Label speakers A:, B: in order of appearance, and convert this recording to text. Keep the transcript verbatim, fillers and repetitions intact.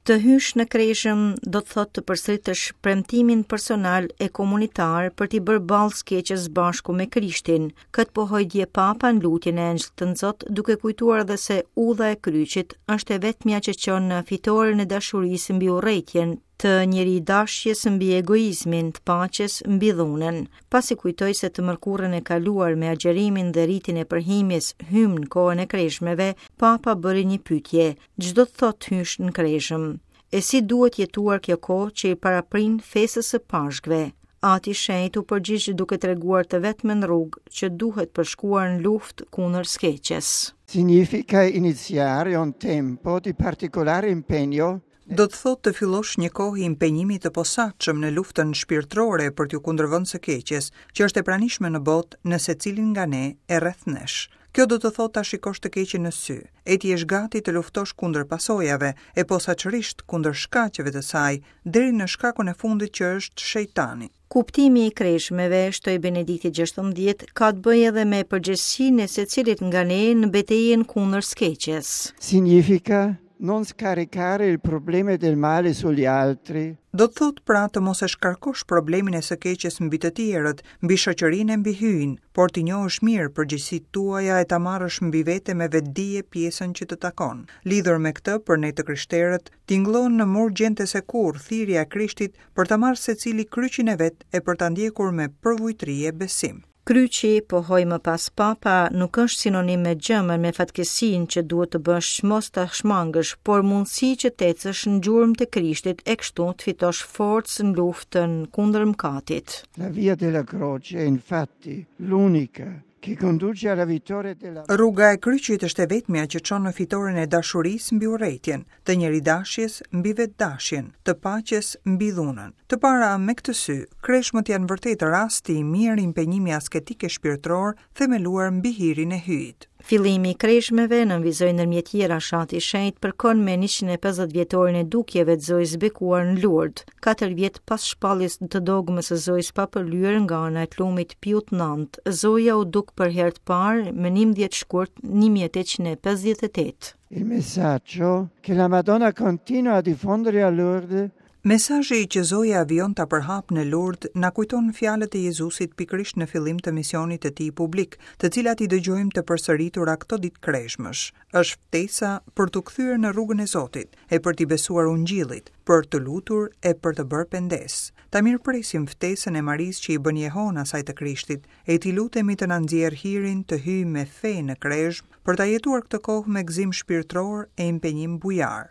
A: Të hysh në kreshëm do të thotë të përsëritësh premtimin personal e komunitar për t'i bërë ballë së keqes bashku me Krishtin. Këtë pohoi dje Papa në lutjen e Engjëllit të Nxot, duke kujtuar edhe se udha e kryqit është e vetmja që çon në fitoren e dashurisë mbi urrejtjen, të njeridashjes mbi egoizmin, të paqes mbi dhunën. Pasi kujtoi se të mërkurën e kaluar me agjerimin dhe ritin e përhimjes hym në kohën e kreshmeve, Papa bëri një pyetje: Ç'do të thotë hysh në kreshëm? E si duhet jetuar kjo kohë që i paraprin festës së Pashkëve? Ati Shenjt u përgjigj duke treguar të vetmen rrugë që duhet përshkuar në luftë kundër së keqes.
B: Significa iniziare un tempo di particolare impegno.
C: Do të thotë të fillosh një kohë impenjimi të posaçëm në luftën shpirtërore për t'ju kundërvënë së keqes, që është e pranishme në botë në secilin nga ne e rreth nesh. Kjo do të thotë ta shikosh të keqen në sy, e ti jesh gati të luftosh kundër pasojave, e posaçërisht kundër shkaqeve të saj, deri në shkakun e fundit që është shejtani.
A: Kuptimi i kreshmeve, shtoi Benedikti gjashtëmbëdhjetë, ka të bëjë edhe me përgjegjësinë e secilit nga ne në betejën kundër së keqes.
B: Significa non scaricare il problema del male sugli altri.
C: Do të thotë pra të mos e shkarkosh problemin e së keqes mbi të tjerët, mbi shoqërinë e mbi Hyjin, por t'i njohësh mirë përgjegjësitë tuaja e ta marrësh mbi vete me vetëdije pjesën që të takon. Lidhur me këtë, për ne të krishterët, tingëllon në më urgjente se kurrë thirrja e Krishtit për ta marrë secili kryqin e vet e për ta ndjekur me përvujtëri e besim.
A: Kryqi, pohoi më pas Papa, nuk është sinonim me gjëmën, me fatkeqësinë që duhet të bësh mos ta shmangësh, por mundësi që të ecësh në gjurmë të Krishtit e kështu të fitosh forcë në luftën kundër mëkatit.
B: La via della croce è infatti l'unica che conduce alla vittoria della
C: Rruga e kryqit është e vetmja që çon në fitoren e dashurisë mbi urrejtjen, të njeridashjes mbi vetdashjen, të paqes mbi dhunën. Të para me këtë sy, kreshmët janë vërtet rasti i mirë impenjimi asketik e shpirtëror themeluar mbi hirin e Hyjit.
A: Fillimi i kreshmeve, nënvizoi ndërmjet tjerash Ati Shenjt, përkon me njëqind e pesëdhjetë vjetorin e dukjeve të Zojës Bekuar në Lourdes, katër vjet pas shpalljes të dogmës së Zojës papërlyer nga ana e tlumit Piut nëntë. Zoja u duk për herë të parë më njëmbëdhjetë shkurt një mijë e tetëqind e pesëdhjetë e tetë.
B: Il messaggio che la Madonna continua a diffondere a Lourdes.
C: Mesazhi që Zoja vijon ta përhap në Lourdes na kujton fjalët e Jezusit pikërisht në fillim të misionit të tij publik, të cilat i dëgjojmë të përsëritura këto ditë kreshmësh. Është ftesa për t'u kthyer në rrugën e Zotit, e për t'i besuar Ungjillit, për të lutur e për të bërë pendesë. Ta mirëpresim ftesën e Marisë që i bën jehon asaj të Krishtit, e t'i lutemi të na nxjerr hirin të hyjmë me fe në kreshmë, për ta jetuar këtë kohë me gëzim shpirtëror e impenjim bujar.